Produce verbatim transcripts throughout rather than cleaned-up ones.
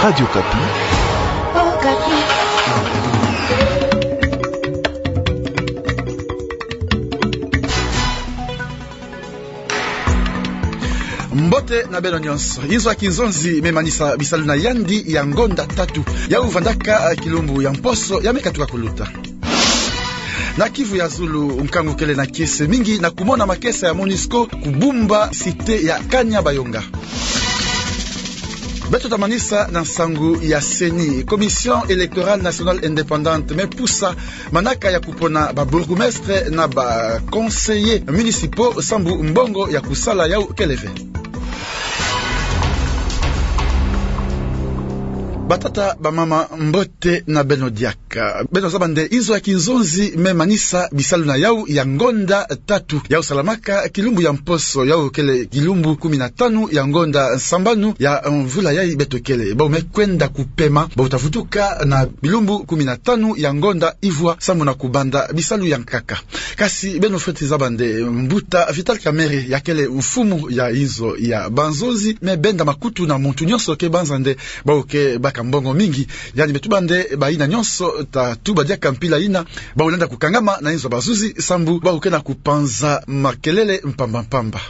Radio Okapi. Okapi. Mbote na beno nyonso. Inzo ya kinzonzi me manisa bisalu na yandi ya ngonda tatu. Yau vandaka, eh, kilumbu ya mposo ya me katuka kuluta. Na Kivu ya Zulu, nkangu kele na kiese mingi na kumona makesa ya MONUSCO kubumba cité ya Kanyabayonga. Beto ta manisa na nsangu ya CENI. Commission électorale nationale indépendante me pusa manaka ya kupona ba bourgmestres na ba conseillers municipaux sambu mbongo ya kusala yau kele ve. Batata, bamama, mbote na beno diaka. Beno zaba nde inzo ya kinzonzi me manisa bisalu na yau ya ngonda tatu. Yau salamaka kilumbu ya mposo, yau kele kilumbu kumi na tanu ya ngonda sambanu ya mvula yai beto kele. Bau me kwenda kupema, bau ta vutuka na bilumbu kumi na tanu ya ngonda ivwa sambu na kubanda bisalu ya nkaka. Kasi beno fweti zaba nde mbuta Vital Kamerhe, ya kele mfumu ya inzo ya banzonzi, me benda makutu na muntu nyonso ke banza nde bau ke baka mbongo mingi. Yandi me tuba nde bayina nyonso ta tuba diaka mpila yina, bau lenda kukangama na inzo ya bazuzi sambu bau ke na kupanza makelele mpamba mpamba.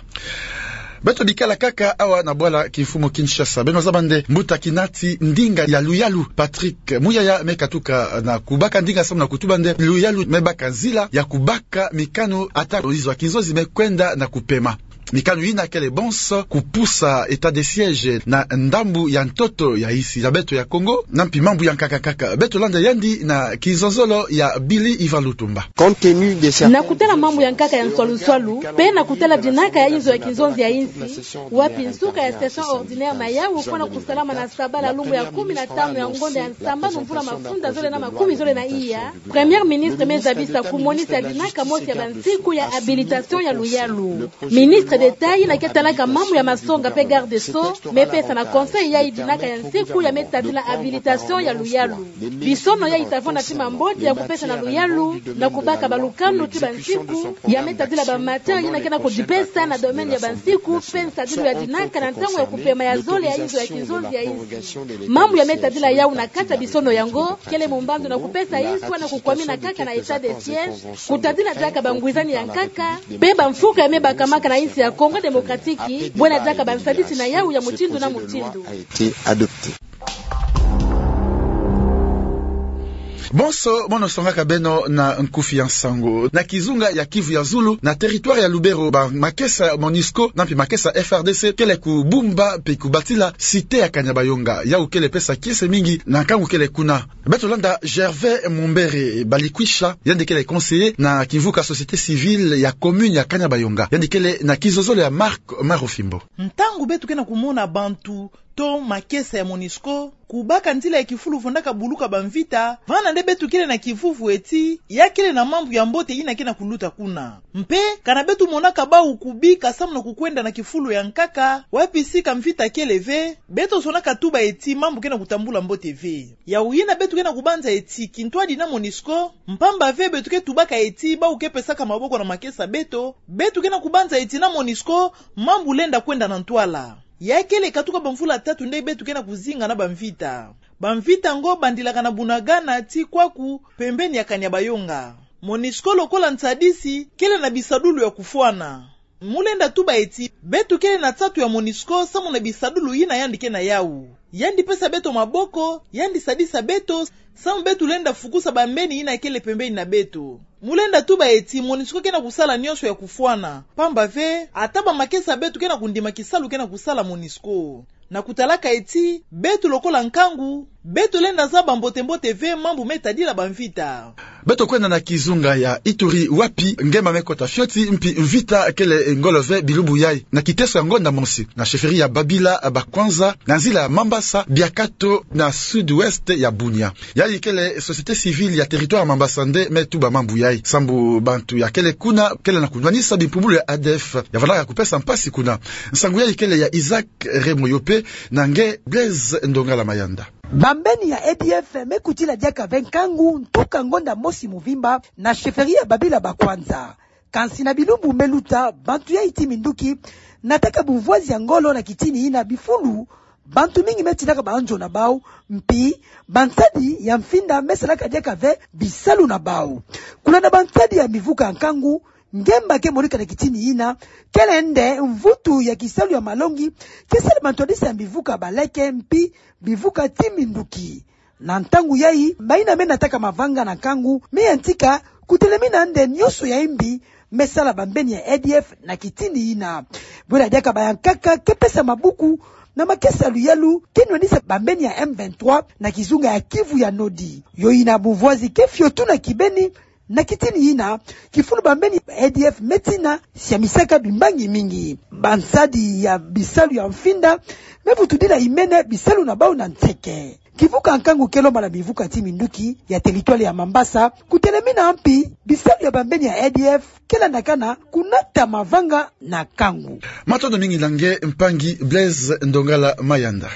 Beto bikala kaka awa na bwala kimfumu Kinshasa. Beno zaba nde mbuta Kinati, ndinga ya luyalu Patrick Muyaya me katuka na kubaka ndinga sambu na kutuba nde luyalu me baka nzila ya kubaka mikanu ata inzo ya kinzonzi me kwenda na kupema. Mikanu yina kele bonso kupusa état de siège na ndambu ya ntoto ya insi ya beto ya Kongo, na mpi mambu ya nkaka kaka. Beto landa yandi na kizololo ya Billy Ivan Lutumba. Compte tenu de certains... Na kutala mambu ya nkaka ya nswalu-nswalu, pe na kutala dinaka ya inzo ya kinzonzi ya insi, wapi nsuka ya session ordinaire na yau fwana kusalama na sabala lumbu ya kumi na tanu ya ngonda ya sambanu mvula mafunda zole na makumi zole na iya, Premier ministre me zabisa kumonisa dinaka mosi ya bansiku ya habilitation ya luyalu. Ministre d'État yina ke talaka mambu ya masonga pe garde des Sceaux me pesa na Conseil yai dinaka ya nsiku ya me tadila habilitation ya luyalu. Bisono yai ta vwanda tima mbote ya kupesa na luyalu na kubaka balukanu ti bansiku ya me tadila ba matière yina ke na kudipesa na domaine ya bansiku pe nsadilu ya dinaka na ntangu ya kupema ya zole ya inzo ya kinzonzi ya insi. Mambu ya me tadila yau na kati ya bisono yango kele mumbandu na kupesa insi na kukwamina kaka na état de siège, kutadila diaka bangwizani ya nkaka, pe bamfuka ya me bakamaka na insi ya Congo Démocratique, bwena diaka bansadisi na yau ya mutindu na mutindu. Bonso mono songaka beno na nkufi ya nsangu. Na kizunga ya Kivu ya Zulu, na territoire ya Lubero, ba makesa MONUSCO na mpi makesa F R D C kele kubumba mpe kubatila cité ya Kanyabayonga. Yau kele pesa kiese mingi na nkangu kele kuna. Beto landa Gervais Mumbere Balikwisha, yandi kele conseiller na kimvuka société civile ya commune ya Kanyabayonga. Yandi kele na kizozolo ya Marc Marofimbo. Ntangu beto ke na kumona bantu to makesa ya MONUSCO kubaka nzila ya kifulu fondaka buluka bamvita, vana nde beto kele na kivuvu eti ya kele na mambu ya mbote yina ke na kuluta kuna. Mpe kana beto monaka bau kubika samu na kukwenda na kifulu ya nkaka, wapi sika mvita kele ve, beto sonaka tuba eti mambu ke na kutambula mbote ve. Yau yina beto ke na kubanza eti kintwadi na MONUSCO, mpamba ve beto ke tubaka eti bau ke pesaka maboko na makesa beto, beto ke na kubanza eti na MONUSCO mambu lenda kwenda na ntwala. Ya kele katuka bamvula tatu nde beto ke na kuzinga na bamvita. Bamvita ngo bandilaka na Bunagana ti kwaku, pembeni ya Kanyabayonga. MONUSCO lokola nsadisi kele na bisadulu ya kufwana. Mu lenda tuba eti beto kele na nsatu ya MONUSCO samu na bisadulu yina yandi ke na yau. Yandi pesa beto maboko, yandi sadisa beto, samu beto lenda fukusa bambeni yina kele pembeni na beto. Mu lenda tuba eti MONUSCO ke na kusala nyonso ya kufwana, mpamba ve ata bamakesa beto ke na kundima kisalu ke na kusala MONUSCO. Na kutalaka eti beto lokola nkangu, beto lenda zaba mbote-mbote ve mambu me tadila bamvita. Beto kwenda na kizunga ya Ituri, wapi ngema me kota fioti mpi mvita kele ngolo ve bilumbu yai. Na kiteso ya ngonda mosi, na chefferie ya Babila Bakwanza, na nzila ya Mambasa, Biakato, na sud-ouest ya Bunia. Yai kele société civile ya territoire ya Mambasa nde me tuba mambu yai. Sambu bantu ya kele kuna kele na kunwanisa bimpumbulu ya A D F ya vandaka kupesa mpasi kuna. Nsangu yai kele ya Isaac Remoyope na nge Blaise Ndongala Mayanda. Bambeni ya A D F me kutila diaka ve nkangu ntuka ngonda mosi muvimba na chefferie ya Babila Bakwanza. Kansi na bilumbu me luta, bantu yai ti minduki nataka bumvwazi ya ngolo na kitini yina bifulu Bantu mingi me tinaka banzo na bau, mpi bansadi ya mfinda me salaka diaka ve bisalu na bau. Kuna na bansadi ya mivuka ya nkangu, ngemba ke monika na kitini yina, kele nde mvutu ya kisalu ya malongi ke sali bantu yadisa ya mivuka baleke mpi mivuka ti minduki. Na ntangu yayi, bayina me nataka mavanga na nkangu me yantika kutelemina nde nionso ya imbi me sala bambeni ya A D F na kitini yina. Bwela diaka bayankaka ke pesa mabuku na makesa luyalu ke nwanisa bambeni ya M vingt-trois na kizunga ya Kivu ya Nodi. Yo yina buvwazi ke fiotu na kibeni, na kitini yina, kifulu bambeni A D F me tina siamisaka bimbangi mingi. Bansadi ya bisalu ya mfinda me vutudila imene bisalu na bau na nseke. Kivuka nkangu ke lomba na mivuka ti minduki ya teritwale ya Mambasa kutelemina mpi bisalu ya bambeni ya A D F ke landakana kunata mavanga na nkangu. Matondo mingi na nge mpangi Blaise Ndongala Mayanda.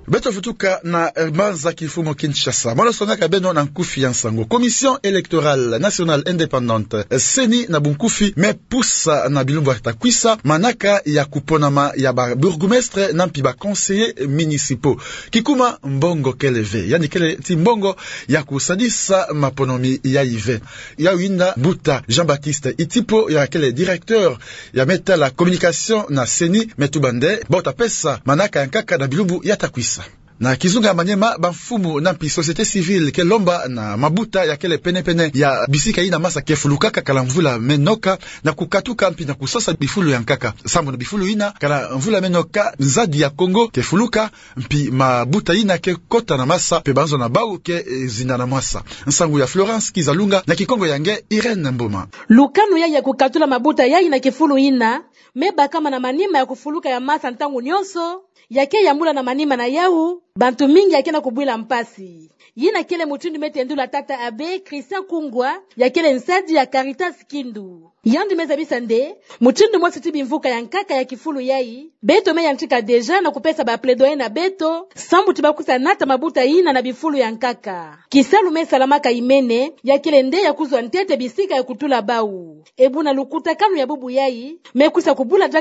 Beto vutuka na, eh, mbanza kimfumu Kinshasa. Mono songaka beno na nkufi ya nsangu. Commission électorale nationale indépendante, eh, CENI na bunkufi, me pusa na bilumbu yata kwisa manaka ya kuponama ya ba bourgmestres na mpi ba conseillers municipaux. Kikuma mbongo kele ve, yandi kele ti mbongo ya kusadisa maponomi yayi ve. Yau yinda mbuta Jean-Baptiste Itipo, ya kele directeur ya me tala communication na CENI, me tuba nde bota pesa manaka ya nkaka na bilumbu yata kwisa. Na kizunga ya Maniema, bamfumu na mpi société civile ke lomba na mabuta ya kele penepene ya bisika yina masa ke fulukaka kala mvula me noka, na kukatuka mpi na kusosa bifulu ya nkaka. Sambu na bifulu yina, kala mvula me noka, nzadi ya Congo ke fuluka, mpi mabuta yina ke kota na masa, mpe banzo na bau ke, eh, zinda na mwasa. Nsangu ya Florence Kizalunga, na kikongo ya nge Irène Mboma. Lukanu yayi ya kukatula mabuta yayi na kifulu yina me bakama na manima ya kufuluka ya masa ntangu nionso, ya ke yambula na manima na yau bantu mingi ya ke na kubwila mpasi. Yina kele mutindu me tendula tata abbé Christian Kungwa, ya kele nsadi ya Caritas Kindu. Yandi me zabisa nde mutindu mosi ti bimvuka ya nkaka ya kifulu yayi, beto me yantika déjà na kupesa ba plaidoyer na beto, sambu ti ba kwiza nata mabuta yina na bifulu ya nkaka. Kisalu me salamaka imene, ya kele nde ya kuzwa ntete bisika ya kutula bau. E buna lukutakanu ya bubu yayi me kwiza kubula dia